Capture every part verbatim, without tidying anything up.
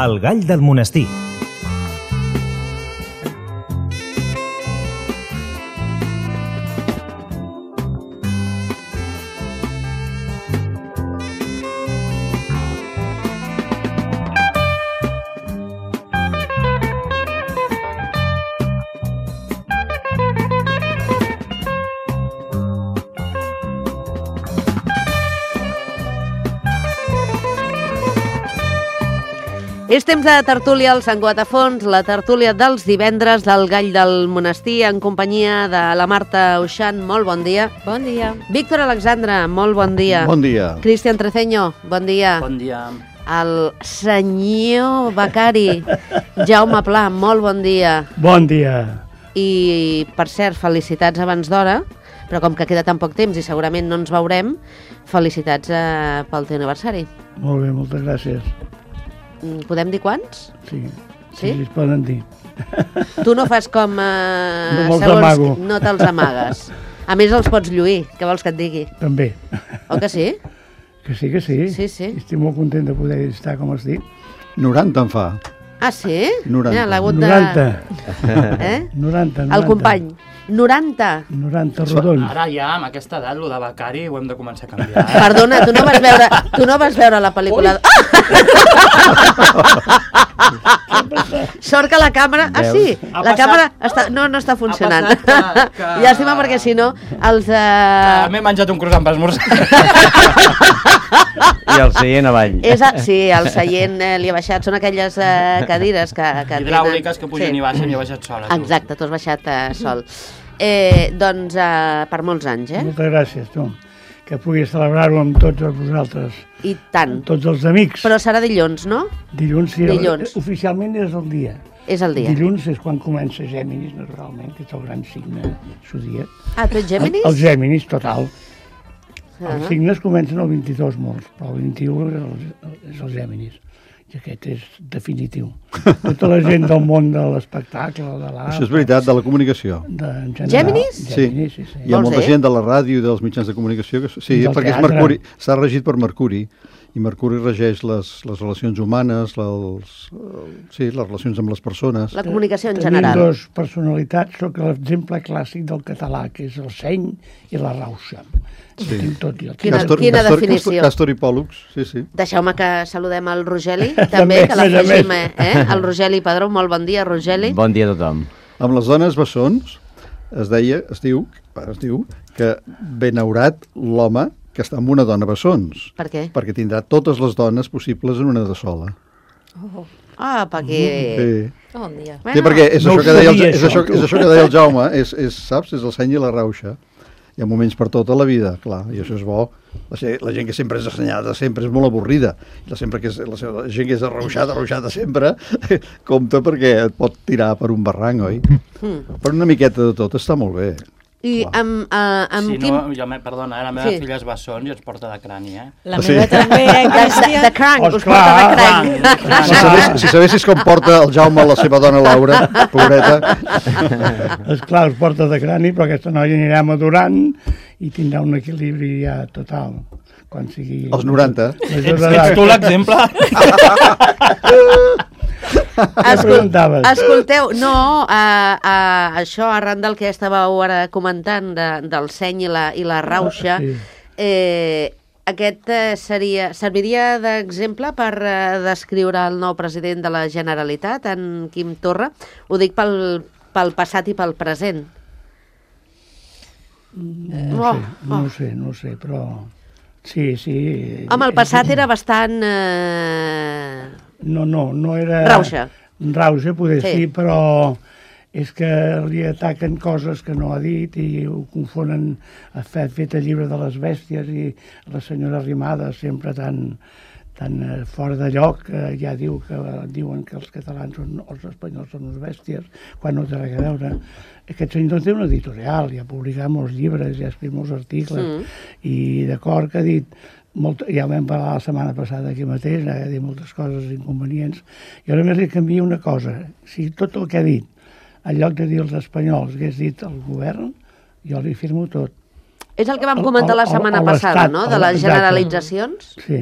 El gall del monestir. És temps de tertúlia al Sant Cugat a Fons, la tertúlia dels divendres del Gall del Monestir, en companyia de la Marta Uixant. Molt bon dia. Bon dia. Víctor Alexandra, molt bon dia. Bon dia. Cristian Treceño, bon dia. Bon dia. El senyor becari, Jaume Pla, molt bon dia. Bon dia. I, per cert, felicitats abans d'hora, però com que queda tan poc temps i segurament no ens veurem, felicitats eh, pel teu aniversari. Molt bé, moltes gràcies. Podem dir quants? Sí, Sí? sí, es poden dir. Tu no fas com... Eh, No me'ls segons- amago. No te'ls amagues. A més, els pots lluir. Què vols que et digui? També. O que sí? Que sí, que sí. Sí, sí. Estic molt content de poder estar com estic. noranta en fa. Ah, sí? noranta. Mira, l'ha hagut de... noranta. Eh? noranta, noranta. El company. noranta. noranta rodons. Ara ja, amb aquesta edat, el de becari ho hem de començar a canviar. Eh? Perdona, tu no vas veure, tu no vas veure la pel·lícula... Ah! Sort que la càmera... Ah, sí, Ha la passat- càmera està... no, no està funcionant. Ha passat que- que- Llàstima, perquè si no, els... Ah, Uh... M'he menjat un croissant per esmorzar. I el seient avall. És a... Sí, el seient eh, li ha baixat. Són aquelles eh, cadires que, que Hidràuliques que pugen Sí. i baixen i he baixat sola. tu. Exacte, tu has baixat eh, sol. Eh, doncs eh, per molts anys, eh? Moltes gràcies, tu. Que pugui celebrar-ho amb tots vosaltres. I tant. Amb tots els amics. Però serà dilluns, no? Dilluns, sí. Dilluns. Oficialment és el dia. És el dia. Dilluns és quan comença Gèminis, naturalment, que és el gran signe zodíac. Ah, tu ets Géminis? El, el Gèminis, total. Ah. Els signes comencen el vint-i-dos molts, però el vint-i-u és el, és el Gèminis. I aquest és definitiu. Tota la gent del món de l'espectacle, de l'art... Això és veritat, de la comunicació. De, en general, Gèminis? Gèminis, sí, sí. Hi ha Vols molta dir? gent de la ràdio i dels mitjans de comunicació que... Sí, Del perquè és teatre. Mercuri, està regit per Mercuri, i Mercuri regeix les, les relacions humanes, les, sí, les relacions amb les persones. La comunicació en Tenim general. dos personalitats, sóc l'exemple clàssic del català, que és el seny i la rauxa. Sí. Tinc tot i el Quina- Castor, quina Castor, definició. Castor, Castor i Pòl·lux, sí, sí. Deixeu-me que saludem el Rogeli, També, també, que a més a l'afegim, més. eh? El Rogeli Padró, molt bon dia, Rogeli. Bon dia a tothom. Amb les dones bessons es deia, es diu, es diu que benaurat l'home que està amb una dona bessons, Per què? perquè tindrà totes les dones possibles en una de sola. Ah, perquè... Sí. Bon dia. Bueno, Sí, perquè és, no això ho que deia el, sabia, és, això, això, tu. és això que deia el Jaume, és, és, saps? És el seny i la rauxa. Hi ha moments per tota la vida, clar, i això és bo. La, gent- la gent que sempre és assenyada sempre és molt avorrida. La, sempre que és, la, seva- la gent que és arrauxada, arrauxada sempre, compta perquè et pot tirar per un barranc, oi? Mm. Però una miqueta de tot està molt bé. I amb, uh, amb Si quin... no, jo me, perdona, eh, la meva Sí. filla és bessons i ens porta de crani, eh? La Sí. meva també, eh, De, de, Cristian? de cranc, us Esclar, porta de cranc, cranc. cranc. Si, sabés, si sabessis com porta el Jaume la seva dona Laura, pobreta, Esclar, es porta de crani, però aquesta noia anirà madurant i tindrà un equilibri ja total. Quan sigui... als noranta. major Ets, d'edat. ets tu l'exemple? Escol preguntaves? escolteu, no, uh, uh, això arran del que estàveu ara comentant de, del seny i la, i la rauxa, Sí. eh, aquest eh, seria, serviria d'exemple per eh, descriure el nou president de la Generalitat, en Quim Torra. Ho dic pel, pel passat i pel present. No Oh, sé, no ho sé, no ho sé, però... Sí, sí. Home, el passat era bastant... Eh... No, no, no era... Rauxa. Rauxa, poder Sí. sí. sí, però és que li ataquen coses que no ha dit i ho confonen. Ha fet, fet el llibre de les bèsties i la senyora Arrimadas, sempre tan, tan eh, fora de lloc, eh, ja diu que diuen que els catalans són, els espanyols són uns bèsties, quan no té res a veure. Aquest senyor té una editorial, ja ha publicat molts llibres, ja ha escrit molts articles, Mm. i d'acord que ha dit, molt, ja ho vam parlar la setmana passada aquí mateix, ha dit moltes coses inconvenients, i ara només li canvia una cosa, si tot el que ha dit, en lloc de dir els espanyols, hagués dit el govern, jo li firmo tot. És el que vam El- comentar la el- setmana el- passada, l'estat, no?, de el- les exacte. generalitzacions. Sí.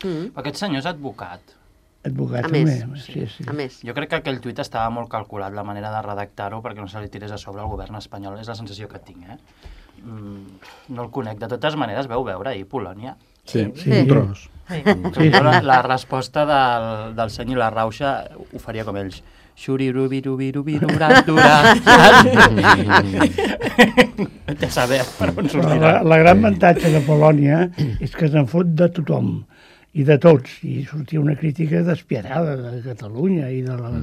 Mm. Aquest senyor és advocat. Advocat A també. més, Sí, sí. a més. Jo crec que aquell tuit estava molt calculat, la manera de redactar-ho, perquè no se li tirés a sobre al govern espanyol. És la sensació que tinc, eh? Mm, no el conec. De totes maneres, veu veure ahir Polònia. Sí, Sí. un tros. Sí. Sí. La, la resposta del, del senyor La Rauxa ho faria com ells. Xurirubirubirubirurat. Ja saber per on Però la, sortirà. la gran avantatge de Polònia és que se'n fot de tothom i de tots, i sortia una crítica despietada de Catalunya i de la,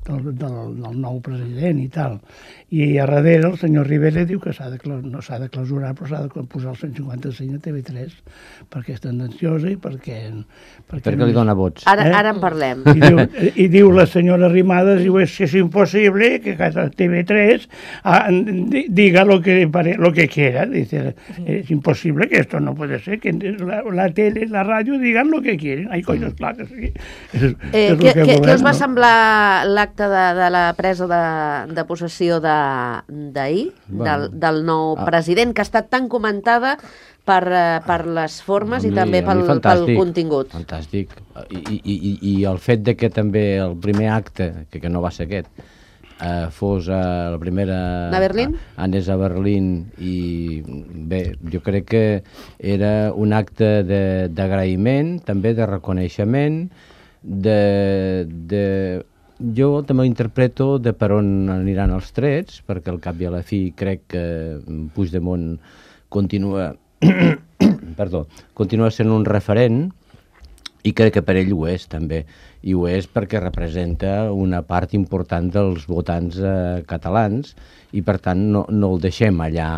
del, del, del nou president i tal. I a darrere el senyor Rivera diu que s'ha de, cla- no s'ha de clausurar, però s'ha de posar el cent cinquanta-cinc a T V tres perquè és tendenciosa i perquè... Perquè li dona vots. Ara, Eh? ara en parlem. I diu, I diu la senyora Arrimadas, diu, es que es imposible que cada T V tres ah, di- diga lo que, pare- lo que quiera. Dice, es imposible que esto no puede ser, que la, la tele, la radio digan lo que quieren. Ai, coño, clar que sí. És, Eh, és el què, que què, volem, què us va no? semblar l'acte de, de la presa de, de possessió de- d'ahir, Bueno. del, del nou Ah. president, que ha estat tan comentada per, eh, per les formes i A mi- també a mi pel, pel fantàstic, contingut? Fantàstic. I, i, i, I el fet de que també el primer acte, que, que no va ser aquest, eh, fos a la primera... A Berlín? A, anés a Berlín i bé, jo crec que era un acte de- d'agraïment, també de reconeixement, de, de... Jo també ho interpreto de per on aniran els trets, perquè al cap i a la fi crec que Puigdemont continua, perdó, continua sent un referent i crec que per ell ho és també, i ho és perquè representa una part important dels votants eh, catalans i per tant no, no el deixem allà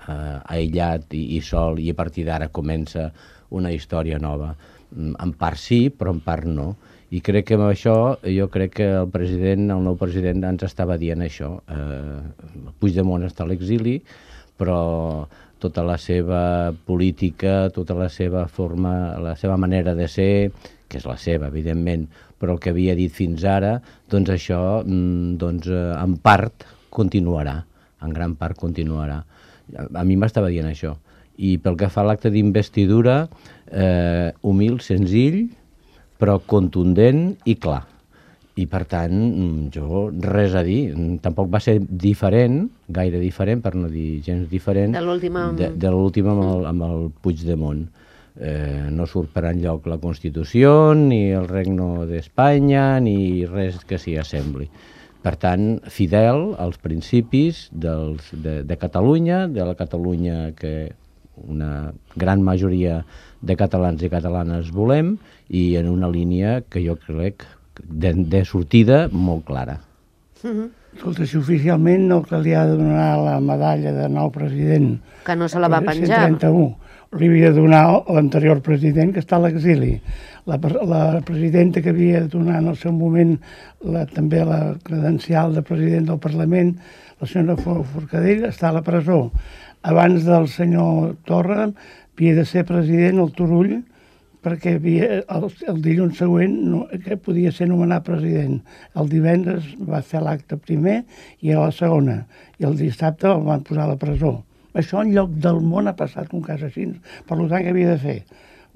eh, aïllat i, i sol i a partir d'ara comença una història nova. Mm, En part sí, però en part no. I crec que amb això, jo crec que el president, el nou president ens estava dient això. Eh, Puigdemont està a l'exili, però tota la seva política, tota la seva forma, la seva manera de ser, que és la seva, evidentment, però el que havia dit fins ara, doncs això, mm, doncs, eh, en part, continuarà, en gran part continuarà. A, a mi m'estava dient això. I pel que fa a l'acte d'investidura, eh, humil, senzill, però contundent i clar. I, per tant, mm, jo res a dir. Mm, Tampoc va ser diferent, gaire diferent, per no dir gens diferent, De l'última amb- de, de l'última amb, el, amb el Puigdemont. Eh, no surt per enlloc la Constitució, ni el Regne d'Espanya, ni res que s'hi assembli. Per tant, fidel als principis dels, de, de Catalunya, de la Catalunya que una gran majoria de catalans i catalanes volem, i en una línia que jo crec de, de sortida molt clara. Escolta, si oficialment el que li ha de donar la medalla de nou president Que no se la va penjar. cent trenta-u li havia de donar l'anterior president que està a l'exili. La, pre- la presidenta que havia de donar en el seu moment la, també la credencial de president del Parlament, la senyora For- Forcadell, està a la presó. Abans del senyor Torra havia de ser president el Turull, perquè havia, el, el dilluns següent no, que podia ser nomenat president. El divendres va fer l'acte primer i a la segona. I el dissabte el van posar a la presó. Això en lloc del món ha passat un cas així. Per tant, què havia de fer?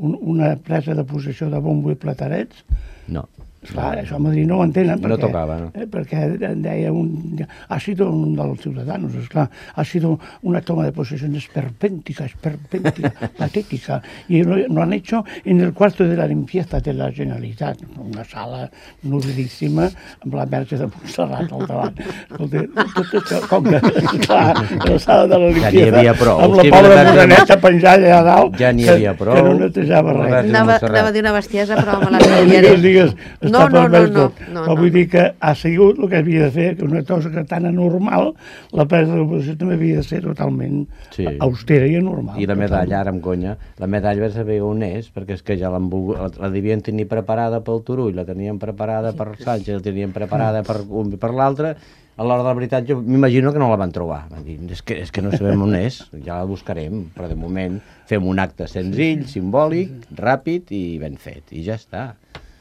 Un, una presa de possessió de bombo i platarets? No. Esclar, això a Madrid no ho entenen. No perquè, tocava, no. eh, perquè deia un... Ha sido un dels ciudadanos, esclar. Ha sido una toma de posesión esperpéntica, esperpéntica, patética. Y lo, lo han hecho en el cuarto de la limpieza de la Generalitat. Una sala nodridíssima amb la verge de Montserrat al davant. Escolta, tot això, com que, clar, la sala de la Ja limpieza, n'hi havia prou. amb la Si pobra havia de- moreneta penjada allà a dalt, Ja n'hi que- havia prou. que no netejava La res. verge de Anava, Montserrat. anava a dir una bestiesa, però me la No digues, canviaré. digues, està No, no, no, permès no, tot. no, Però no. vull dir que ha sigut el que havia de fer, que una cosa que tan anormal, la presa de l'oposició també havia de ser totalment Sí. austera i anormal. I la medalla, ara amb conya, la medalla va saber on és, perquè és que ja l'han volgut, la, la devien tenir preparada pel Turull, la tenien preparada per Sánchez, la tenien preparada per un i per l'altre. A l'hora de la veritat jo m'imagino que no la van trobar. Van dir, és que, és que no sabem on és, ja la buscarem, però de moment fem un acte senzill, simbòlic, ràpid i ben fet, i ja està.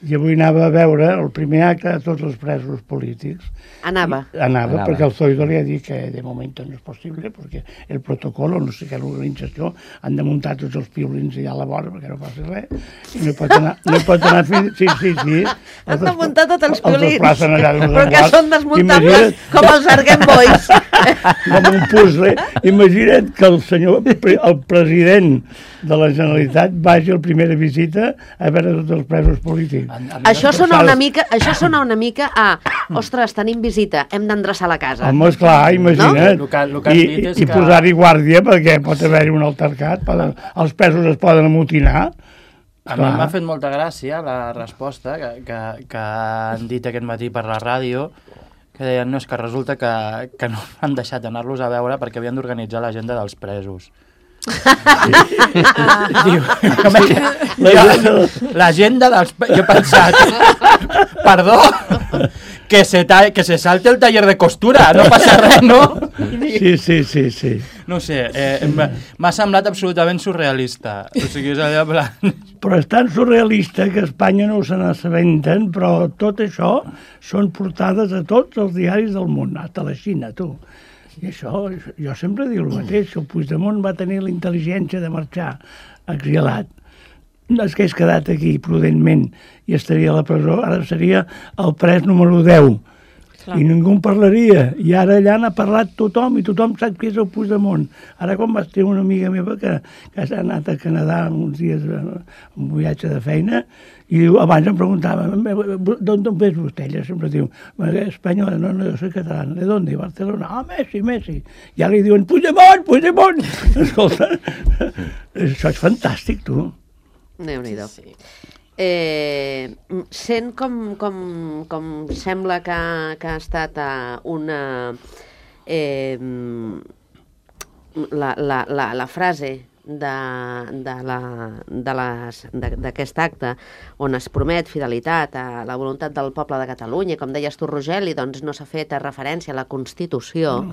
i avui anava a veure el primer acte de tots els presos polítics. Anava. I, anava, Anava, perquè el Zoido li ha dit que de moment no és possible, perquè el protocol, no sé què, l'organització, han de muntar tots els piolins allà a la vora, perquè no passi res, i no hi pot anar, no hi pot anar fins... Sí, sí, sí. Han de muntar tots els piolins, allà, però que són desmuntables com els Argent Boys. Com un puzzle. Imagina't que el senyor, el president de la Generalitat vagi a la primera visita a veure tots els presos polítics. Això sona una mica, això sona una mica a, ostres, tenim visita, hem d'endreçar la casa. Home, esclar, imagina't. No? El que- el que has I, dit és i que- posar-hi guàrdia perquè pot haver-hi un altercat, poden, els presos es poden amotinar. A mi m'ha fet molta gràcia la resposta que, que, que han dit aquest matí per la ràdio, que deien, no, és que resulta que, que no han deixat anar-los a veure perquè havien d'organitzar l'agenda dels presos. Diu, l'agenda dels... Jo he pensat, perdó, que se, ta, que se salte el taller de costura, no passa res, no? Sí, sí, sí, sí. No sé, eh, m'ha semblat absolutament surrealista. O sigui, és allò... Plan... Però és tan surrealista que a Espanya no se n'assabenten, però tot això són portades a tots els diaris del món, a la Xina, tu. I això, jo sempre dic el mateix, el Puigdemont va tenir la intel·ligència de marxar exilat. No és que hagués quedat aquí prudentment i estaria a la presó, ara seria el pres número deu. Clar. I ningú en parlaria. I ara allà n'ha parlat tothom i tothom sap qui és el Puigdemont. Ara quan vaig tenir una amiga meva que, que s'ha anat a Canadà uns dies un viatge de feina i diu, abans em preguntava, d'on ve vostè? Ella sempre diu, espanyola, no, no, jo soy catalana. ¿De dónde? Barcelona. Ah, Messi, Messi. I ara li diuen, Puigdemont, Puigdemont. Escolta, això és fantàstic, tu. Déu-n'hi-do. Sí. Eh, sent com, com, com sembla que, que ha estat una... Eh, la, la, la, la frase d'aquest acte on es promet fidelitat a la voluntat del poble de Catalunya, com deies tu, Rogeli, doncs no s'ha fet referència a la Constitució, mm.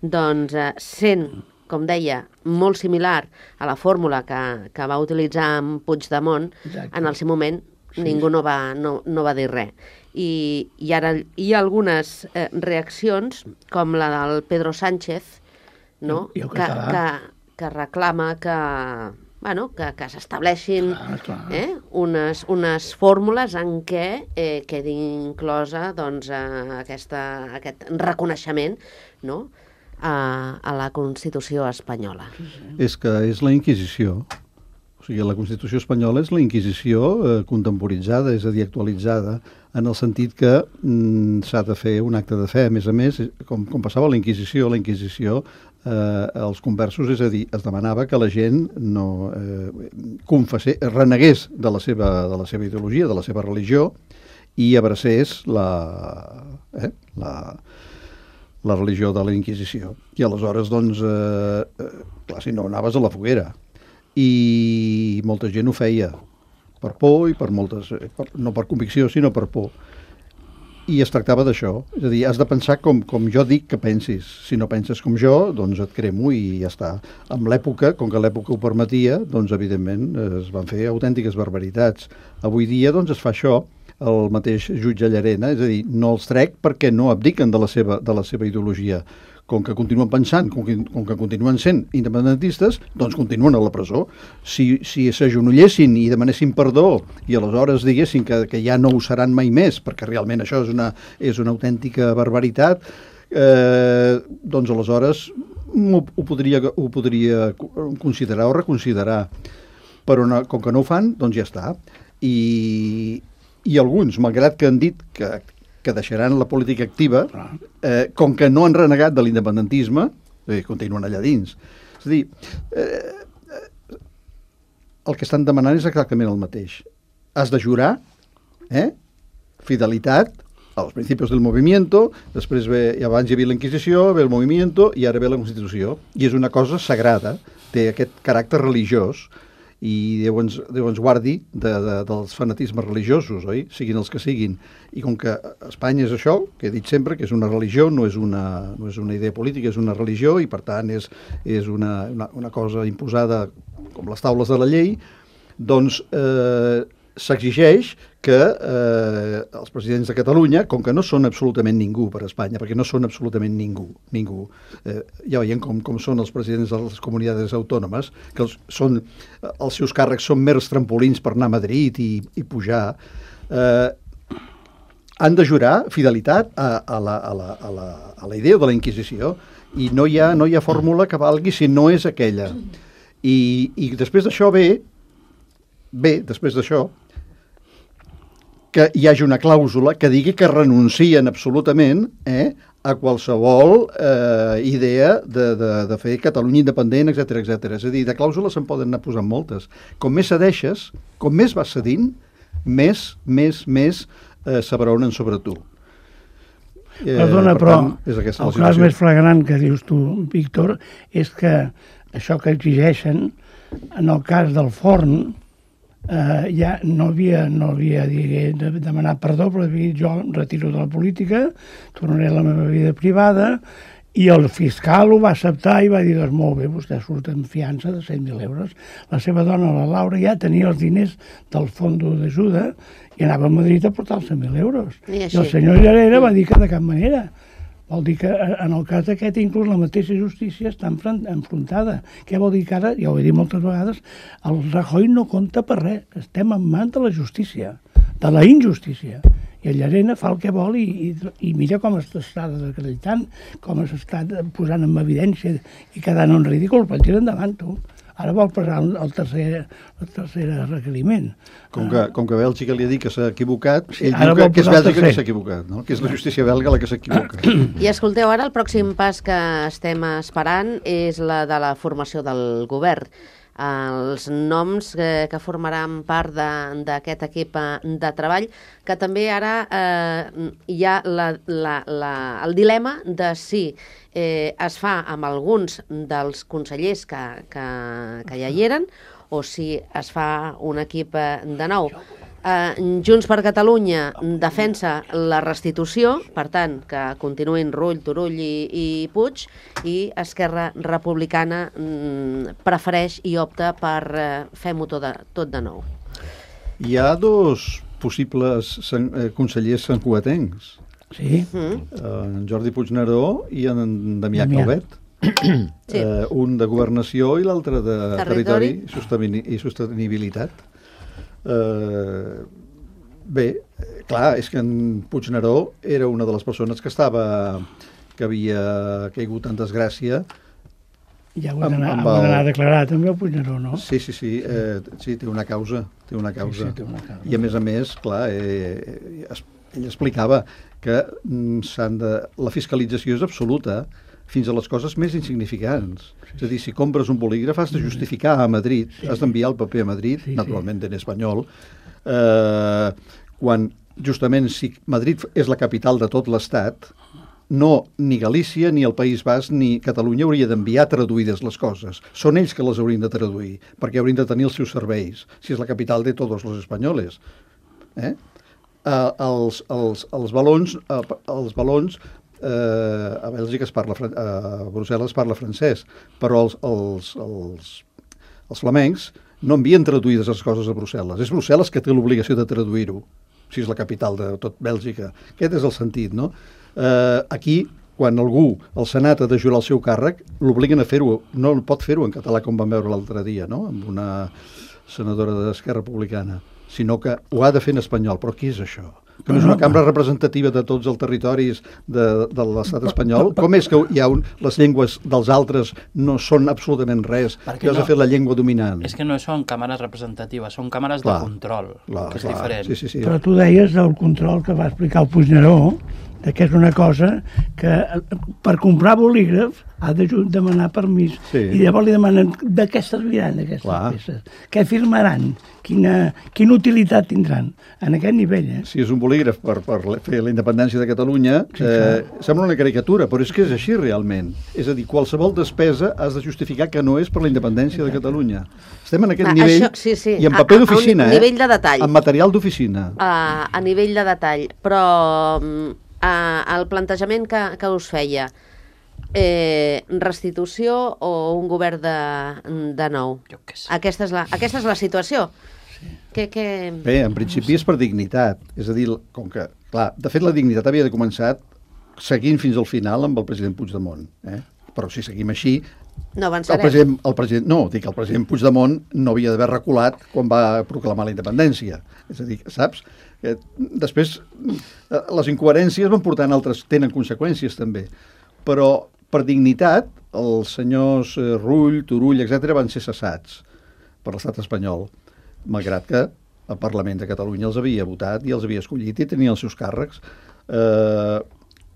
doncs eh, sent, com deia, molt similar a la fórmula que, que va utilitzar en Puigdemont, exacte. En el seu moment sí. Ningú no va, no, no va dir res. I, i ara hi ha algunes eh, reaccions, com la del Pedro Sánchez, no? I, i que, que, que reclama que, bueno, que, que s'estableixin eh, unes, unes fórmules en què eh, quedi inclosa doncs, eh, aquesta, aquest reconeixement, no?, A, a la Constitució espanyola. És que és la Inquisició. O sigui, la Constitució espanyola és la Inquisició eh, contemporitzada, és a dir, actualitzada, en el sentit que mm, s'ha de fer un acte de fe. A més a més, com, com passava a la Inquisició, la Inquisició, eh, els conversos, és a dir, es demanava que la gent no eh, confessés, renegués de la, seva, de la seva ideologia, de la seva religió, i abracés la... Eh, la la religió de la Inquisició. I aleshores, doncs, eh, eh, clar, si no anaves a la foguera. I molta gent ho feia per por i per moltes... Eh, per, no per convicció, sinó per por. I es tractava d'això. És a dir, has de pensar com, com jo dic que pensis. Si no penses com jo, doncs et cremo i ja està. Amb l'època, com que l'època ho permetia, doncs, evidentment, es van fer autèntiques barbaritats. Avui dia, doncs, es fa això. El mateix jutge Llarena, és a dir, no els trec perquè no abdiquen de la seva, de la seva ideologia. Com que continuen pensant, com que, com que continuen sent independentistes, doncs continuen a la presó. Si, si s'agenollessin i demanessin perdó i aleshores diguessin que, que ja no ho seran mai més, perquè realment això és una, és una autèntica barbaritat, eh, doncs aleshores ho, ho, podria, ho podria considerar o reconsiderar. Però no, com que no ho fan, doncs ja està. I... I alguns, malgrat que han dit que, que deixaran la política activa, eh, com que no han renegat de l'independentisme, eh, continuen allà dins. És a dir, eh, el que estan demanant és exactament el mateix. Has de jurar, eh, fidelitat als principis del movimiento, després ve, i abans hi havia la Inquisició, ve el movimiento i ara ve la Constitució. I és una cosa sagrada, té aquest caràcter religiós, i Déu ens, Déu ens guardi de, de, dels fanatismes religiosos, oi? Siguin els que siguin. I com que Espanya és això, que he dit sempre, que és una religió, no és una, no és una idea política, és una religió, i per tant és, és una, una, una cosa imposada com les taules de la llei, doncs eh, s'exigeix que eh, els presidents de Catalunya, com que no són absolutament ningú per a Espanya, perquè no són absolutament ningú, ningú, eh, ja veiem com, com són els presidents de les comunitats autònomes, que els, són, els seus càrrecs són mers trampolins per anar a Madrid i, i pujar, eh, han de jurar fidelitat a, a, la, a, la, a, la, a la idea de la Inquisició, i no hi ha, no hi ha fórmula que valgui si no és aquella. I, i després d'això ve, bé, després d'això, que hi hagi una clàusula que digui que renuncien absolutament eh, a qualsevol eh, idea de, de, de fer Catalunya independent, etcètera, etcètera. És a dir, de clàusules se'n poden anar posant moltes. Com més cedeixes, com més vas cedint, més, més, més eh, s'abraonen sobre tu. Eh, Perdona, per però tant, és el cas més flagrant que dius tu, Víctor, és que això que exigeixen, en el cas del forn, Uh, ja no havia, no havia digué, de demanar perdó, però havia dit jo em retiro de la política, tornaré a la meva vida privada, i el fiscal ho va acceptar i va dir, doncs molt bé, vostè surt en fiança de cent mil euros. La seva dona, la Laura, ja tenia els diners del fons d'ajuda i anava a Madrid a portar els cent mil euros. I, I el senyor Llarena va dir que de cap manera. Vol dir que en el cas aquest inclús la mateixa justícia està enfrontada. Què vol dir que ara, ja ho he dit moltes vegades, el Rajoy no compta per res. Estem en mans de la justícia, de la injustícia. I el Llarena fa el que vol i, i, i mira com està desacreditant, com s'està posant en evidència i quedant en ridícul, per tirar endavant, tu. Ara vol passar el tercer, el tercer requeriment. Com que, com que Bèlgica li ha dit que s'ha equivocat, sí, ell diu que, que és Bèlgica que s'ha equivocat, no? Que és la justícia belga la que s'equivoca. I escolteu, ara el pròxim pas que estem esperant és la de la formació del govern. Els noms que, que formaran part d'aquest equip de treball, que també ara eh, hi ha la, la, la, el dilema de si eh, es fa amb alguns dels consellers que, que, que ja hi eren o si es fa un equip de nou. Eh, Junts per Catalunya defensa la restitució, per tant, que continuïn Rull, Turull i, i Puig, i Esquerra Republicana mm, prefereix i opta per eh, fer-ho tot, de, tot de nou. Hi ha dos possibles sen, eh, consellers santcugatencs. Sí. Mm. Eh, en Jordi Puigneró i en Damià Calvet. Sí. Eh, un de Governació i l'altre de Territori, Territori i Sostenibilitat. Uh, bé, clar, és que en Puigneró era una de les persones que estava que havia caigut en desgràcia. Ja ho ha d'anar el... a declarar també el Puigneró, no? Sí, sí, sí, eh, sí, té una causa, té una causa. Sí, sí, té una causa. I a més a més, clar, eh, ell explicava que mm, s'han de... la fiscalització és absoluta fins a les coses més insignificants. Sí, sí. És a dir, si compres un bolígraf has de justificar a Madrid, sí, has d'enviar el paper a Madrid, sí, naturalment en espanyol, eh, quan justament si Madrid és la capital de tot l'Estat, no ni Galícia, ni el País Basc, ni Catalunya hauria d'enviar traduïdes les coses. Són ells que les haurien de traduir, perquè haurien de tenir els seus serveis, si és la capital de tots els espanyols. Eh? Eh, els, els, els balons, eh, els balons Uh, a Bèlgica es parla, a Brussel·les es parla francès, però els, els, els, els flamencs no envien traduïdes les coses a Brussel·les. És Brussel·les que té l'obligació de traduir-ho, si és la capital de tot Bèlgica. Aquest és el sentit, no? Uh, aquí, quan algú, el Senat, ha de jurar el seu càrrec, l'obliguen a fer-ho, no pot fer-ho en català, com vam veure l'altre dia, no?, amb una senadora d'Esquerra Republicana, sinó que ho ha de fer en espanyol. Però què és això? Que no és una cambra representativa de tots els territoris de, de l'estat espanyol? Com és que hi ha un, les llengües dels altres no són absolutament res? Perquè que has no, de fer la llengua dominant. És que no són càmeres representatives, són càmeres clar, de control, clar, que és clar, diferent. Sí, sí, sí. Però tu deies del control que va explicar el Puigneró, que és una cosa que per comprar bolígraf ha de demanar permís, sí, i llavors li demanen de què serviran aquestes clar. peces, què firmaran, quina, quina utilitat tindran en aquest nivell. Eh? Si és un bolígraf per, per fer la independència de Catalunya, sí, eh, sembla una caricatura, però és que és així realment. És a dir, qualsevol despesa has de justificar que no és per la independència de Catalunya. Estem en aquest ah, nivell, això, sí, sí. I en paper d'oficina, eh? Nivell de detall. En material d'oficina. Uh, a nivell de detall, però uh, el plantejament que, que us feia, Eh, restitució o un govern de, de nou? Jo què sé. Aquesta és la, aquesta és la situació. Que, que... Bé, en principi és per dignitat. És a dir, com que, clar, de fet la dignitat havia de començar seguint fins al final amb el president Puigdemont. Eh? Però si seguim així... No el avançarem. president, el president, no, dic, el president Puigdemont no havia d'haver reculat quan va proclamar la independència. És a dir, saps? Que després, les incoherències van portant altres, tenen conseqüències també. Però, per dignitat, els senyors Rull, Turull, etcètera van ser cessats per l'estat espanyol, malgrat que el Parlament de Catalunya els havia votat i els havia escollit i tenien els seus càrrecs. Eh,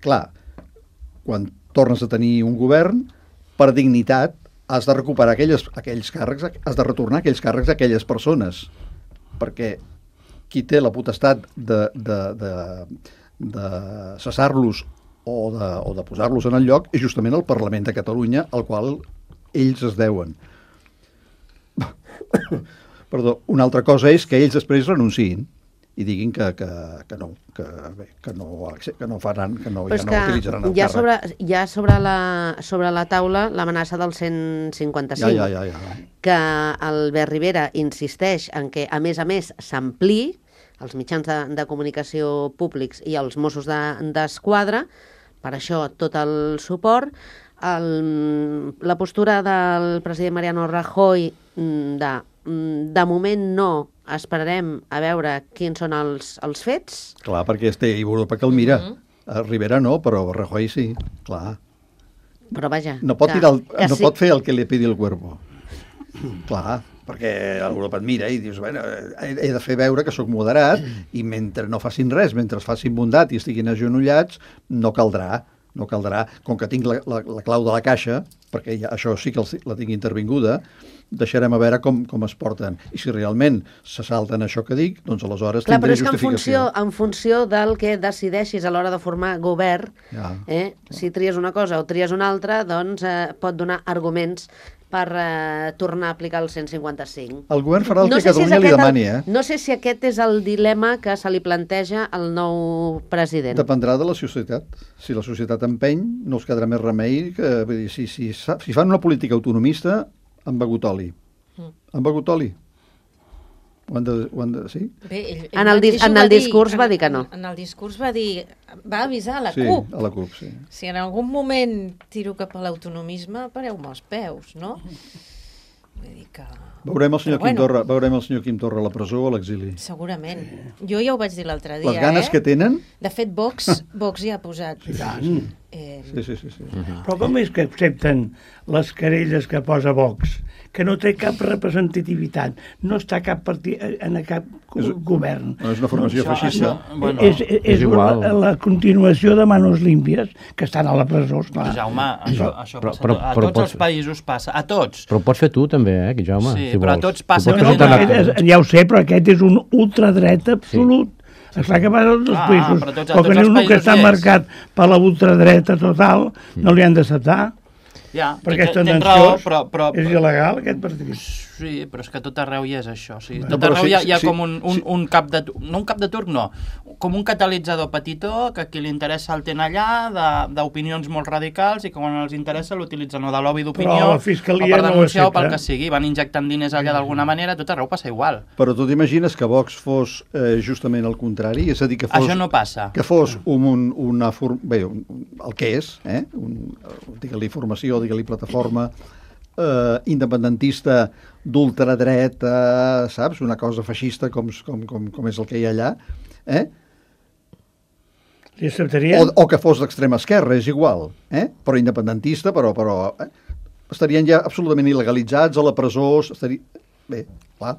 clar, quan tornes a tenir un govern, per dignitat, has de recuperar aquelles, aquells càrrecs, has de retornar aquells càrrecs a aquelles persones, perquè qui té la potestat de, de, de, de cessar-los o de, o de posar-los en el lloc és justament el Parlament de Catalunya, al qual ells es deuen. Perdó, una altra cosa és que ells després renunciïn i diguin que, que, que no, que, bé, que, no, que no faran, que no, ja no utilitzaran el ja càrrec. sobre, ja sobre la, sobre la taula l'amenaça del cent cinquanta-cinc, Ja, ja, ja, ja. que Albert Rivera insisteix en que, a més a més, s'ampliï els mitjans de, de comunicació públics i els Mossos d'Esquadra, de, per això tot el suport. El, la postura del president Mariano Rajoy de, de moment no, esperarem a veure quins són els, els fets. Clar, perquè té Europa que el mira. Mm-hmm. Rivera no, però Rajoy sí, clar. Però vaja... No pot, que, tirar el, no sí. pot fer el que li pidi el cuerpo. Clar, perquè Europa et mira i dius, bueno, he, he de fer veure que sóc moderat i mentre no facin res, mentre facin bondat i estiguin agenollats, no caldrà. No caldrà, com que tinc la, la, la clau de la caixa, perquè ja, això sí que el, la tinc intervinguda, deixarem a veure com, com es porten. I si realment se salten això que dic, doncs aleshores Clar, tindré però és que en justificació. funció, en funció del que decideixis a l'hora de formar govern, Ja, eh, si tries una cosa o tries una altra, doncs eh, pot donar arguments per eh, tornar a aplicar el cent cinquanta-cinc. El govern farà el No que sé si és Catalunya li aquest el- demani, eh? No sé si aquest és el dilema que se li planteja al nou president. Dependrà de la societat. Si la societat empeny, no els quedarà més remei que... Vull dir, si, si, si fan una política autonomista, han begut oli. Mm. Han begut oli. Ho han de... Ho han de sí? Bé, ell, ell En el dis- mateix ho en va el dir, discurs va en- dir que no. En, en el discurs va dir, va avisar a la Sí, CUP. a la CUP, sí. Si en algun moment tiro cap a l'autonomisme, pareu-me els peus, no? Vull dir que... Veurem el senyor Però Quim bueno. Torra, veurem el senyor Quim Torra a la presó o a l'exili. Segurament. Jo ja ho vaig dir l'altre dia, Les ganes eh? que tenen... De fet, Vox, Vox ja ha posat... tant. Eh, Sí, sí, sí. sí. Però com és que accepten les querelles que posa Vox? Que no té cap representativitat, no està cap partit, en cap És- govern. No, és una formació Això- feixista. això- Bueno, és, és, és igual. la, la continuació de Manos Límpies, que estan a la presó, esclar. Jaume, això, això Però- passa però- a, però tots pots- els països passa, a tots. Però ho pots fer tu també, eh, que Jaume, Sí, si però a vols. tots passa Tu pots que No, presentar no, una- aquest és, ja ho sé, però aquest és un ultradreta absolut. Sí. Esclar que va a tots els Ah, països, però tots- a però que tots els un que països està hi és. marcat per la ultradreta total no li han d'acceptar, Ja, perquè és tens tendenciós, raó, però, però, és il·legal aquest partit. Sí, però és que a tot arreu hi és això. O sigui, No, tot però arreu sí, hi ha, hi ha sí, com un, un, sí. un cap de... No un cap de turc, no. Com un catalitzador petitó que a qui li interessa el ten allà, de- d'opinions molt radicals, i que quan els interessa l'utilitzen o de lobby d'opinió, Però la o Fiscalia per no ho denunciar o pel accepta. que sigui. Van injectant diners allà d'alguna manera, a tot arreu passa igual. Però tu t'imagines que Vox fos eh, justament el contrari? És a dir, que fos... Això no passa. Que fos un, un, una... For... Bé, un, el que és, eh? Un, digue-li formació, digue-li plataforma, eh, independentista d'ultradreta, saps? Una cosa feixista com, com, com, com és el que hi ha allà, eh? Li acceptarien? O, o que fos d'extrema esquerra, és igual, eh? Però independentista, però... però eh? Estarien ja absolutament il·legalitzats a la presó, estaria... Bé, clar,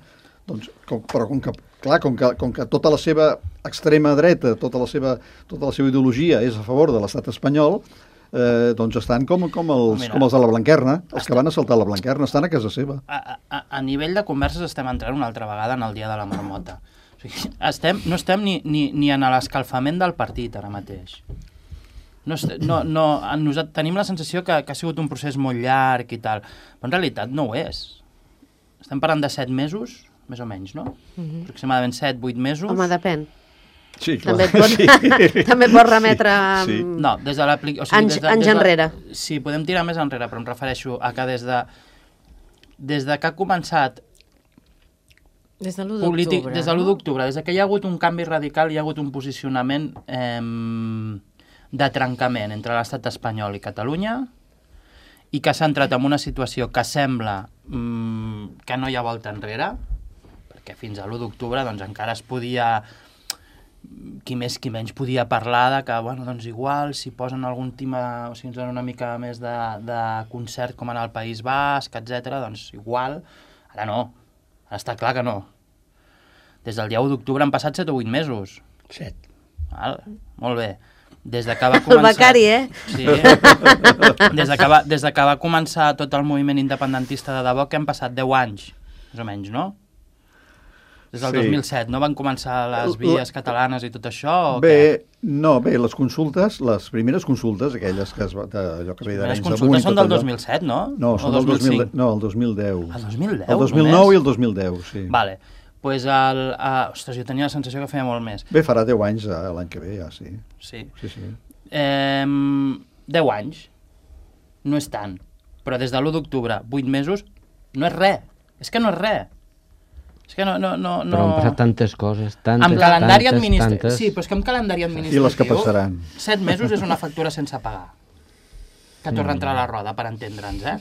doncs, com, però com que, clar, com que, com que tota la seva extrema dreta, tota la seva, tota la seva ideologia és a favor de l'estat espanyol, eh, doncs estan com, com, els, Mira, com els de la Blanquerna, els que van assaltar la Blanquerna, estan a casa seva. A, a, a nivell de converses estem entrant una altra vegada en el dia de la marmota. O sigui, estem, no estem ni, ni, ni en l'escalfament del partit ara mateix. No, est- no, no, nosaltres tenim la sensació que, que ha sigut un procés molt llarg i tal, però en realitat no ho és. Estem parlant de set mesos, més o menys, no? Mm-hmm. Aproximadament set, vuit mesos. Home, depèn. Sí, També et pot, Sí. també et pot remetre Sí. sí. No, des de l'aplicació... O sigui, Anys- des de, anys des de, enrere. Sí, podem tirar més enrere, però em refereixo a que des de, des de que ha començat Des de l'u polític, d'octubre, des de l'u no? d'octubre, des de que hi ha hagut un canvi radical, hi ha hagut un posicionament eh, de trencament entre l'estat espanyol i Catalunya i que s'ha entrat en una situació que sembla mm, que no hi ha volta enrere, perquè fins a l'u d'octubre doncs, encara es podia, qui més qui menys podia parlar de que, bueno, doncs igual, si posen algun tema, o si ens donen una mica més de, de concert com en el País Basc, etcètera, doncs igual, ara no. Ara està clar que no. Des del dia u d'octubre han passat set o vuit mesos. Set. Val? Molt bé. Des de que va començar... El becari, eh? Sí. Des de, que va, des de que va començar tot el moviment independentista de debò, que han passat deu anys, més o menys, no? Des del Sí. dos mil set, no van començar les vies catalanes i tot això? O Bé, què? no, bé, les consultes, les primeres consultes, aquelles que es va, de, allò que ve Les d'Arenys de consultes Munt i són tot del allò. dos mil set, no? No, són o del dos mil, cinc? no, el dos mil deu. El dos mil deu, El dos mil nou només? i el dos mil deu, sí. Vale. Pues el, uh, ostres, jo tenia la sensació que feia molt més. Bé, farà deu anys eh, l'any que ve, ja, sí. Sí. Sí, sí. Eh, deu anys. No és tant. Però des de l'u d'octubre, vuit mesos, no és res. És que no és res. És que no... no, no, no... Però han passat tantes coses, tantes, amb calendari tantes, administratiu... tantes... Sí, però és que amb calendari administratiu... I les que passaran. Set mesos és una factura sense pagar. Que torna a entrar a la roda, per entendre'ns, eh?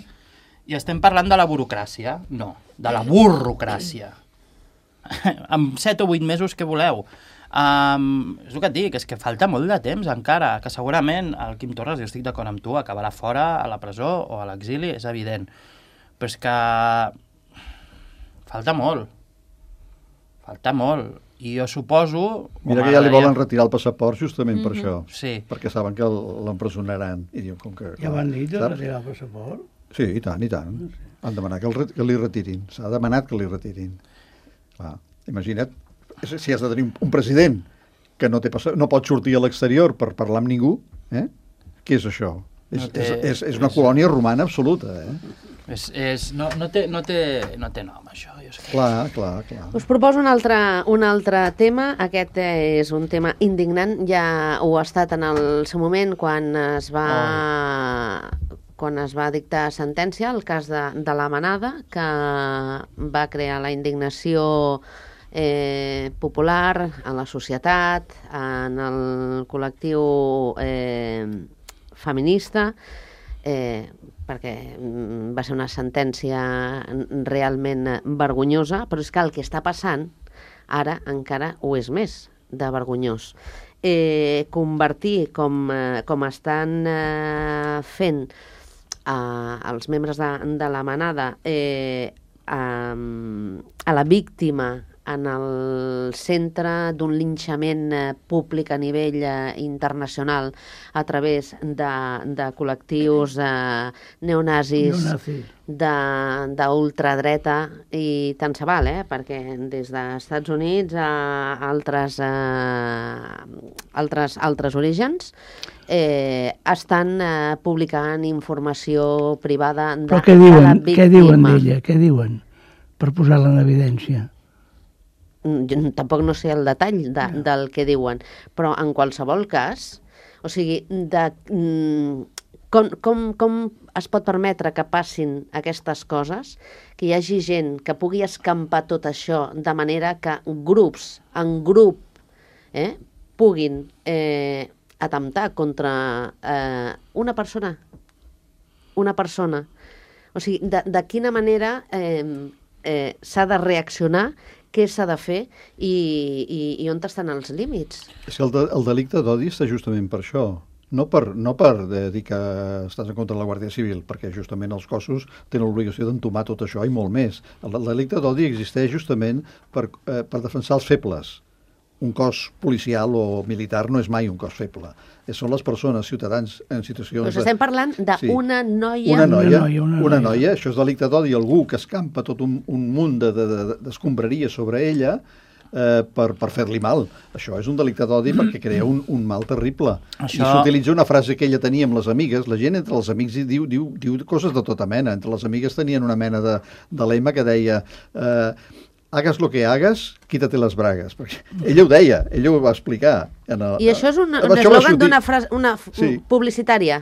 I estem parlant de la burocràcia? No, de la burrocràcia. Amb set o vuit mesos, què voleu? Um, és el que et dic, és que falta molt de temps encara, que segurament el Quim Torres, jo estic d'acord amb tu, acabarà fora, a la presó o a l'exili, és evident. Però és que falta molt. Falta molt. I jo suposo... Mira que ja li volen retirar el passaport justament per això. Sí. Perquè saben que l'empresonaran. I diuen, com que... Ja van dir de saps? retirar el passaport? Sí, i tant, i tant. Han demanat que, el, re- que li retirin. S'ha demanat que li retirin. Clar, imagina't, si has de tenir un, un president que no, té passa, no pot sortir a l'exterior per parlar amb ningú, eh? Què és això? És, No té- és, és, és una colònia romana absoluta, eh? És, és, no, no, té, no, té, no té nom, això. Jo sé que... Clar, clar, clar. Us proposo un altre, un altre tema. Aquest és un tema indignant. Ja ho ha estat en el seu moment quan es va... Oh. quan es va dictar sentència, el cas de, de la Manada, que va crear la indignació eh, popular a la societat, en el col·lectiu eh, feminista, eh, perquè mm, va ser una sentència realment vergonyosa, però és que el que està passant ara encara ho és més de vergonyós. Eh, convertir, com, eh, com estan eh, fent eh, els membres de, de la Manada eh, a, a la víctima en el centre d'un linxament eh, públic a nivell eh, internacional a través de, de col·lectius eh, neonazis, Neonazi. de- d'ultradreta i tant se val, eh? Perquè des dels Estats Units a altres, eh, altres, altres orígens eh, estan eh, publicant informació privada de, Però què de la diuen, víctima. què diuen d'ella? Què diuen? Per posar-la en evidència. Mm, Jo tampoc no sé el detall de, del que diuen, però en qualsevol cas, o sigui, de, mm, com, com, com es pot permetre que passin aquestes coses, que hi hagi gent que pugui escampar tot això de manera que grups, en grup, eh, puguin eh, atemptar contra eh, una persona, una persona. O sigui, de, de quina manera eh, eh, s'ha de reaccionar, què s'ha de fer i, i, i on estan els límits. És que el, de, el delicte d'odi està justament per això. No per, no per eh, dir que estàs en contra de la Guàrdia Civil, perquè justament els cossos tenen l'obligació d'entomar tot això i molt més. El, el delicte d'odi existeix justament per, eh, per defensar els febles. Un cos policial o militar no és mai un cos feble. Eh, Són les persones, ciutadans, en situacions... Doncs estem parlant d'una Sí. noia... Una noia, Una noia, una, una noia, noia. això és delicte d'odi, algú que escampa tot un, un munt de- de- de- d'escombraria sobre ella eh, per, per fer-li mal. Això és un delicte d'odi perquè crea un, un mal terrible. Això- I s'utilitza una frase que ella tenia amb les amigues, la gent entre els amics hi diu, diu, diu coses de tota mena. Entre les amigues tenien una mena de, de lema que deia... Eh, hagas lo que hagas, quítate les bragues. Perquè ella ho deia, ella ho va explicar. En el, I això és un, Això un va eslògan sortir- d'una frase una f- Sí. publicitària.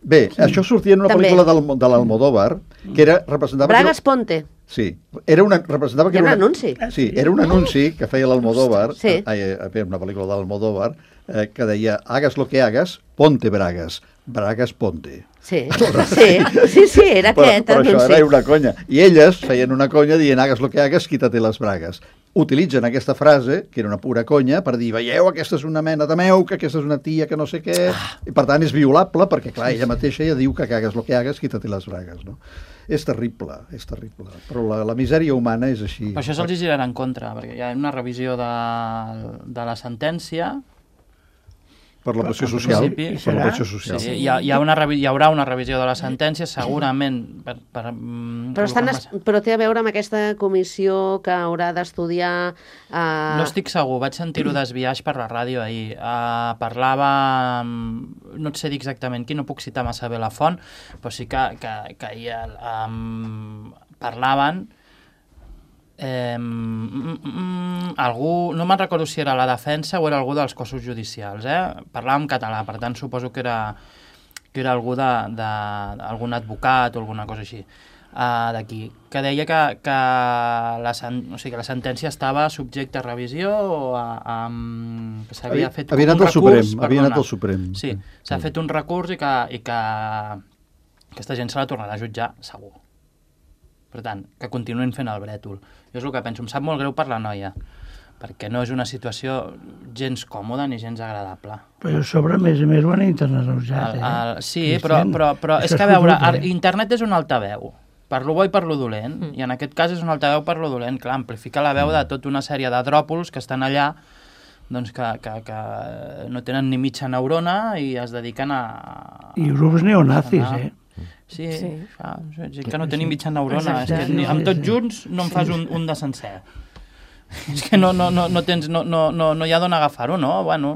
Bé, això sortia en una També. pel·lícula del, de l'Almodóvar, que era, representava... Bragas Ponte. Sí, era una, representava que Hi ha era un anunci. Sí, era un anunci que feia l'Almodóvar, Sí. eh, eh, una pel·lícula de l'Almodóvar, eh, que deia, hagas lo que hagas, ponte bragas, bragas ponte. Sí, sí, sí, sí, era Però, aquest però això anunci. era una conya. I elles feien una conya dient, hagas lo que hagas, quítate les bragues. Utilitzen aquesta frase, que era una pura conya, per dir, veieu, aquesta és una mena de meuca, aquesta és una tia que no sé què, i per tant és violable, perquè clar, ella mateixa ja diu que hagas lo que hagas, quítate les bragues, no? És terrible, és terrible. Però la, la misèria humana és així. Per això se'ls girarà en contra, perquè hi ha una revisió de, de la sentència. Per la pressió social. principi, Per la pressió social. Sí, hi, ha, hi, ha una, revi- hi haurà una revisió de la sentència, segurament... Per, per, mm, Però, estan, com- es- però té a veure amb aquesta comissió que haurà d'estudiar... Eh... No estic segur, vaig sentir-ho desviaix per la ràdio ahir. Uh, parlava, mm, no et sé dir exactament qui, no puc citar massa bé la font, però sí que, que, que ahir um, parlaven eh, mm, mm, algú, no me'n recordo si era la defensa o era algú dels cossos judicials, eh? Parlava en català, per tant suposo que era, que era algú de, de, algun advocat o alguna cosa així. Uh, d'aquí, que deia que, que, la, sen, o sigui, que la sentència estava subjecta a revisió o a, a, que s'havia Havia- fet havia com un anat al recurs, Suprem, havia anat perdona. al Suprem. Sí, s'ha fet un recurs i que, i que aquesta gent se la tornarà a jutjar segur. Per tant, que continuïn fent el brètol. Jo és el que penso, em sap molt greu per la noia, perquè no és una situació gens còmoda ni gens agradable. Però a sobre, a més a més, ho han internalitzat, El, eh? el, sí, Cristian, però, però, però és això que, a és veure, fotut, el, eh? internet és un altaveu, per lo bo i per lo dolent, mm. i en aquest cas és un altaveu per lo dolent, clar, amplifica la veu de tota una sèrie de dròpols que estan allà, doncs que, que, que no tenen ni mitja neurona i es dediquen a... I grups neonazis, a- eh? Sí, Sí. fa, gent que no tenim mitja neurona, és Exacte. que ni, amb tots junts no en fas un, un de sencer. És que no, no, no, no, tens, no, no, no, no hi ha d'on agafar-ho, no? Bueno,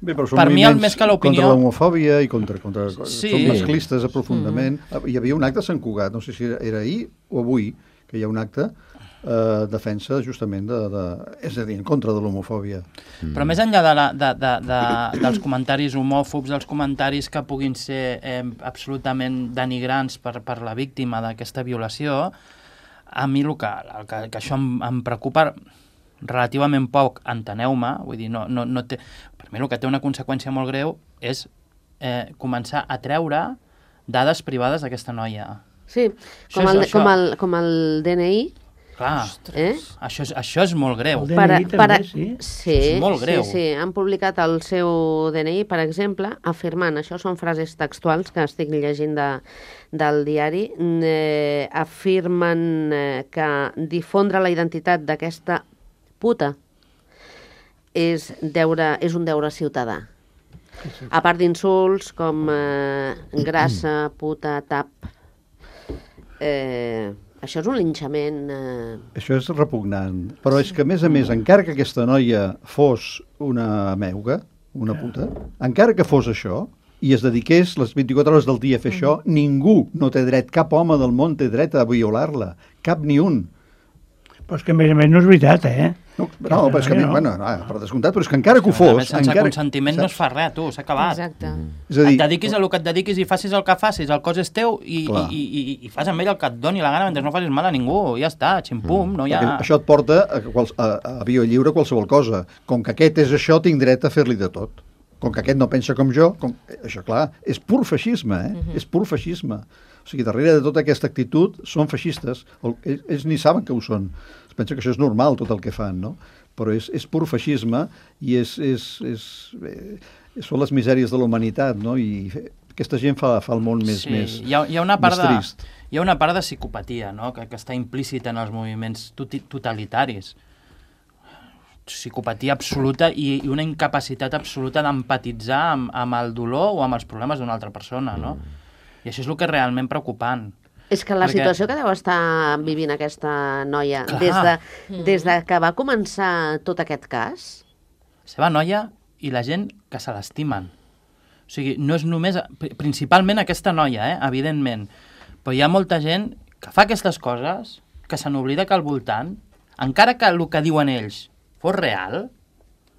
Bé, però són Per mi, el moviments més que l'opinió- contra l'homofòbia i contra... contra Sí. Són masclistes aprofundament. Mm. Hi havia un acte a Sant Cugat, no sé si era, era ahir o avui, que hi ha un acte eh, defensa justament de, de... És a dir, en contra de l'homofòbia. però més enllà de la, de, de, de, dels comentaris homòfobs, dels comentaris que puguin ser eh, absolutament denigrants per, per la víctima d'aquesta violació, a mi el que, el que, que això em, em preocupa relativament poc, enteneu-me, vull dir, no, no, no té... Per mi el que té una conseqüència molt greu és eh, començar a treure dades privades d'aquesta noia. Sí, Això com és- el, això- com el, com el D N I. Clar, Eh? això, és, això és molt greu. El D N I també, sí. Sí, És molt greu. sí, sí, han publicat el seu D N I, per exemple, afirmant, això són frases textuals que estic llegint de, del diari, eh, afirmen eh, que difondre la identitat d'aquesta puta és, deure, és un deure ciutadà. A part d'insults com eh, grassa, puta, tap... Eh, això és un linxament... Eh, Això és repugnant. Però és que, a més a més, encara que aquesta noia fos una meuga, una puta, encara que fos això, i es dediqués les vint-i-quatre hores del dia a fer això, ningú no té dret, cap home del món té dret a violar-la. Cap ni un. Però és que, a més a més, no és veritat, eh? No, no, però és que, no. bueno, no, per descomptat, però és que encara que ho A fos... més, sense encara, consentiment no es fa res, tu, s'ha acabat. Exacte. És a Et dir, dediquis a el que et dediquis i facis el que facis, el cos és teu i, Clar. i, i, i, i fas amb ell el que et doni la gana mentre no facis mal a ningú, ja està, ximpum, no hi ha... perquè això et porta a, quals, a, a via lliure qualsevol cosa. Com que aquest és això, tinc dret a fer-li de tot. Com que aquest no pensa com jo, com... això, clar, és pur feixisme, eh? Uh -huh. És pur feixisme. O sigui, darrere de tota aquesta actitud són feixistes. O, ells, ells ni saben que ho són. Es pensa que això és normal, tot el que fan, no? Però és, és pur feixisme i és, és, és, eh, són les misèries de la humanitat, no? I aquesta gent fa, fa el món més, sí, més, hi ha, hi ha una part més de, trist. hi ha una part de psicopatia, no?, que, que està implícita en els moviments tuti, totalitaris. Psicopatia absoluta i, i una incapacitat absoluta d'empatitzar amb, amb el dolor o amb els problemes d'una altra persona, no? I això és el que és realment preocupant. És que la Perquè- situació que deu estar vivint aquesta noia Clar. des de, des de que va començar tot aquest cas, La seva noia i la gent que se l'estimen. O sigui, no és només... Principalment aquesta noia, eh? Evidentment. Però hi ha molta gent que fa aquestes coses, que se n'oblida que al voltant, encara que el que diuen ells fos real,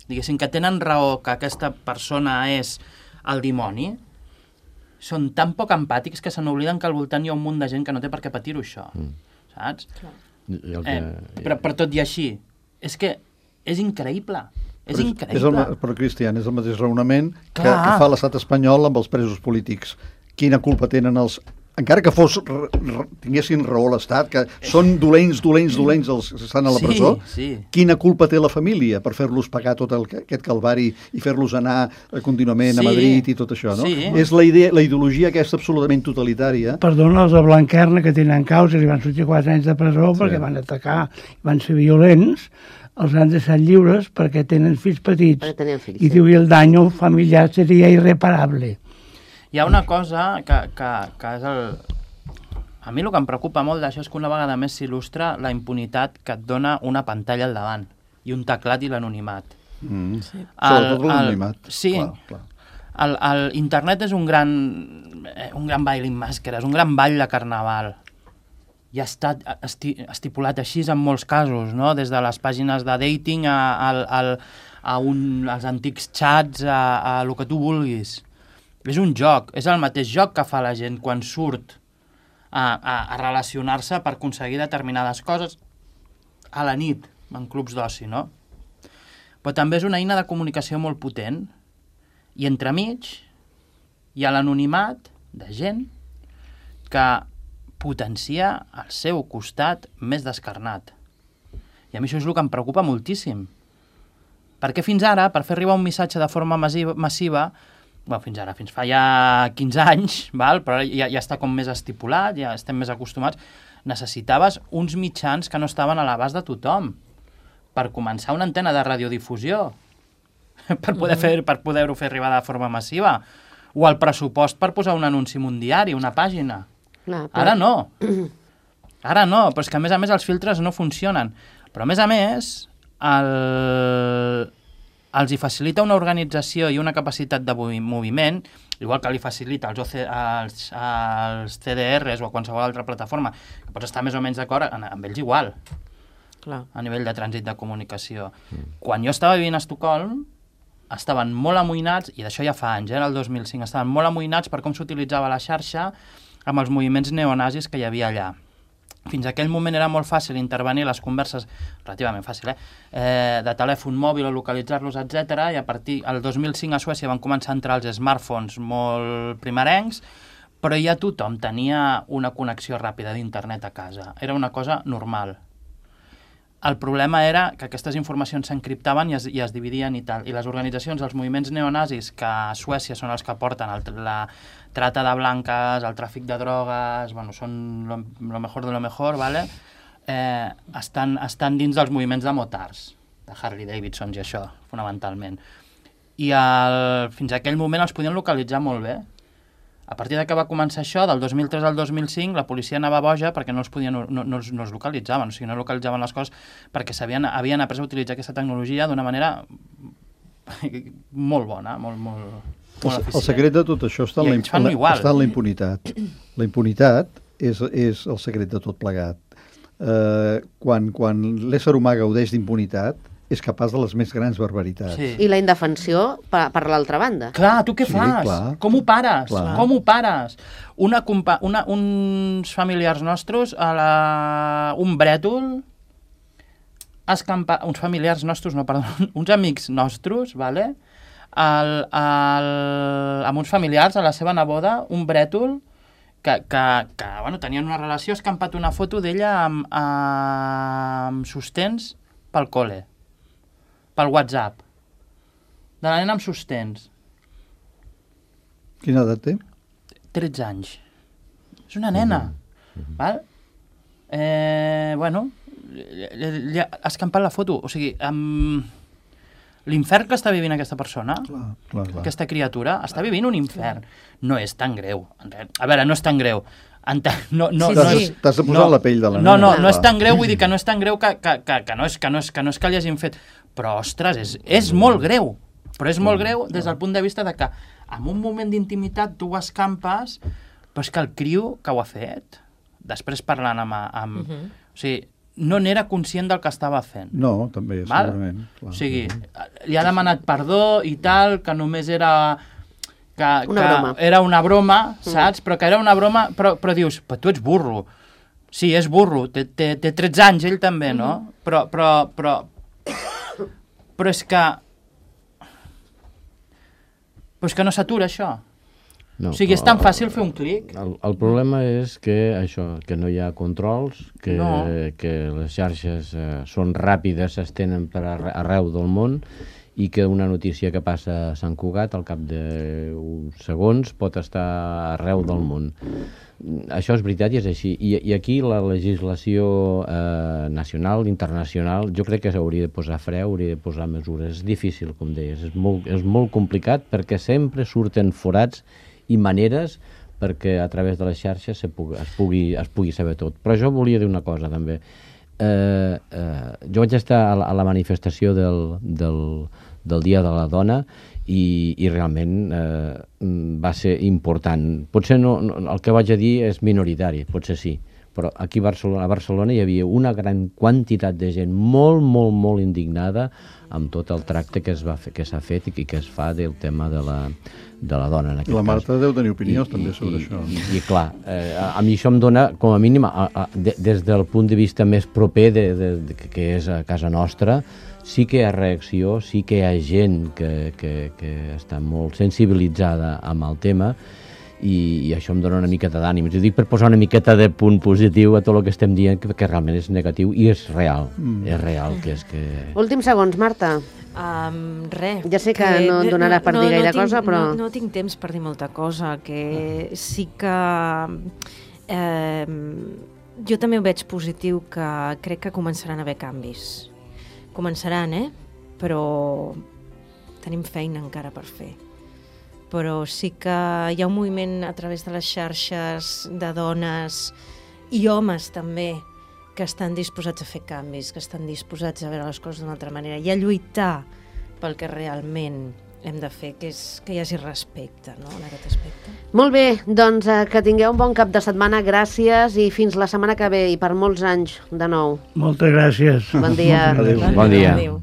diguéssim que tenen raó que aquesta persona és el dimoni, són tan poc empàtics que se n'obliden que al voltant hi ha un munt de gent que no té per què patir-ho, això. Mm. saps? El que... Eh, però, però tot i així, és que és increïble. És però increïble. És el, però, Cristian, és el mateix raonament que, Clar. que fa l'estat espanyol amb els presos polítics. Quina culpa tenen els... Encara que fos, r, r, tinguessin raó l'Estat, que són dolents, dolents, dolents els que estan a la Sí, presó, sí. quina culpa té la família per fer-los pagar tot el, aquest calvari i fer-los anar eh, contínuament Sí. a Madrid i tot això, no? Sí. És la, idea, la ideologia aquesta absolutament totalitària. Perdona, els de Blanquerna, que tenen causa, li van sortir quatre anys de presó sí. perquè van atacar, van ser violents, els han deixat lliures perquè tenen fills petits. Perquè tenien fills, I sí. diu, i el daño familiar seria irreparable. Hi ha una cosa que, que, que és el... A mi el que em preocupa molt d'això és que una vegada més s'il·lustra la impunitat que et dona una pantalla al davant i un teclat i l'anonimat. Mm. Sí. Sobretot l'anonimat. Sí. Clar, clar. El, el internet és un gran, eh, un gran ball amb màscares, un gran ball de carnaval. I ha estat esti, estipulat així en molts casos, no? Des de les pàgines de dating a, a, a, a un, als antics xats, a, a el que tu vulguis. És un joc, és el mateix joc que fa la gent quan surt a, a, a relacionar-se per aconseguir determinades coses a la nit, en clubs d'oci, no? Però també és una eina de comunicació molt potent. I entremig hi ha l'anonimat de gent que potencia el seu costat més descarnat. I a mi això és el que em preocupa moltíssim. Perquè fins ara, per fer arribar un missatge de forma massiva, massiva bueno, fins ara, fins fa ja quinze anys, val? Però ja, ja està com més estipulat, ja estem més acostumats, necessitaves uns mitjans que no estaven a l'abast de tothom per començar una antena de radiodifusió, per poder fer, per poder-ho fer arribar de forma massiva, o el pressupost per posar un anunci en un diari, una pàgina. Clar, però... Ara no. Ara no, però és que a més a més els filtres no funcionen. Però a més a més, el... els hi facilita una organització i una capacitat de moviment, igual que li facilita als, O C, als, als C D Rs o a qualsevol altra plataforma, que pots estar més o menys d'acord amb ells igual, Clar. a nivell de trànsit de comunicació. Mm. Quan jo estava vivint a Estocolm, estaven molt amoïnats, i d'això ja fa anys, eh, el dos mil cinc, estaven molt amoïnats per com s'utilitzava la xarxa amb els moviments neonazis que hi havia allà. Fins a aquell moment era molt fàcil intervenir les converses, relativament fàcil, eh? Eh, de telèfon mòbil o localitzar-los, etcètera. I a partir del dos mil cinc a Suècia van començar a entrar els smartphones molt primerencs, però ja tothom tenia una connexió ràpida d'internet a casa. Era una cosa normal. El problema era que aquestes informacions s'encriptaven i, es, i es dividien i tal. I les organitzacions, els moviments neonazis, que a Suècia són els que porten el, la trata de blanques, el tràfic de drogues, bueno, són lo, lo mejor de lo mejor, ¿vale? eh, estan, estan dins dels moviments de motards, de Harley Davidson i això, fonamentalment. I el, fins a aquell moment els podien localitzar molt bé. A partir de que va començar això, del dos mil tres al dos mil cinc, la policia anava boja perquè no els, podien, no, no, no els localitzaven, o sigui, no localitzaven les coses perquè havien après a utilitzar aquesta tecnologia d'una manera molt bona, molt, molt, molt eficient. El secret de tot això està en, la, imp la, està en la impunitat. La impunitat és, és el secret de tot plegat. Eh, quan quan l'ésser humà gaudeix d'impunitat, és capaç de les més grans barbaritats. Sí. I la indefensió per, per l'altra banda. Clar, tu què Sí, fas? clar. Com ho pares? Clar. Com ho pares? Una, una, uns familiars nostres, a la, un brètol, escampa, uns familiars nostres, no, perdó, uns amics nostres, vale? el, el, amb uns familiars, a la seva neboda, un brètol, que, que, que bueno, tenien una relació, ha escampat una foto d'ella amb, amb sostens pel col·le, pel WhatsApp, de la nena amb sostens. Quina edat té? tretze anys. És una nena. Mm-hmm. Val? Eh, bueno, li ha escampat la foto. O sigui, amb l'infern que està vivint aquesta persona, Clar, clar, clar. aquesta criatura, està vivint un infern. No és tan greu. A veure, no és tan greu. No, no, Sí, no, sí. T'has de posar no, la pell de la no, nena. no, no és Clar. tan greu, vull dir que no és tan greu que, que, que, que, no, és, que, no, és, que no és que li hagin fet. Però, ostres, és, és molt greu. Però és molt greu des del punt de vista de que en un moment d'intimitat tu ho escampes, però és que el criu que ho ha fet, després parlant amb... amb uh -huh. O sigui, no n'era conscient del que estava fent. No, també, Val? segurament. Clar. O sigui, li ha demanat perdó i tal, que només era... Que, Una que broma. era una broma, saps? Mm. Però que era una broma, però, però dius, però tu ets burro. Sí, és burro, té, té, té tretze anys, ell també, no? Mm-hmm. Però, però, però, però és que... Però és que no s'atura, això. No, o sigui, és tan fàcil fer un clic. El, el problema és que això, que no hi ha controls, que, no. que les xarxes eh, són ràpides, s'estenen per arreu del món, i que una notícia que passa a Sant Cugat al cap d'uns segons pot estar arreu del món. Això és veritat i és així. I, i aquí la legislació eh, nacional, internacional, jo crec que s'hauria de posar fre, hauria de posar mesures. És difícil, com deies, és molt, és molt complicat perquè sempre surten forats i maneres perquè a través de les xarxes se pugui, es, pugui, es pugui saber tot. Però jo volia dir una cosa també. Eh, eh, jo vaig estar a la, a la manifestació del, del, del Dia de la Dona i, i realment eh, va ser important. Potser no, no, el que vaig a dir és minoritari, potser sí, però aquí a Barcelona, a Barcelona hi havia una gran quantitat de gent molt, molt, molt indignada amb tot el tracte que es va fer, que s'ha fet i que es fa del tema de la, de la dona en aquest la Marta cas. Deu tenir opinions I, també i, sobre i, això. I, i clar, eh, a, a mi això em dona, com a mínim, a, a, de, des del punt de vista més proper de, de, de, que és a casa nostra, sí que hi ha reacció, sí que hi ha gent que, que, que està molt sensibilitzada amb el tema i, i això em dona una miqueta d'ànim. Ho dic per posar una miqueta de punt positiu a tot el que estem dient, que, que realment és negatiu i és real. Mm. És real que és que... Últims segons, Marta. Um, res. Ja sé que, que no et donarà per no, dir no, gaire no tinc, cosa, però... No, no tinc temps per dir molta cosa, que sí que... Eh, jo també ho veig positiu, que crec que començaran a haver canvis. Començaran, eh? Però tenim feina encara per fer. Però sí que hi ha un moviment a través de les xarxes de dones i homes també que estan disposats a fer canvis, que estan disposats a veure les coses d'una altra manera i a lluitar pel que realment hem de fer, que és que hi hagi respecte, no?, en aquest aspecte. Molt bé, doncs eh, que tingueu un bon cap de setmana, gràcies i fins la setmana que ve i per molts anys de nou. Moltes gràcies. Bon dia. Adéu. Bon dia. Adéu.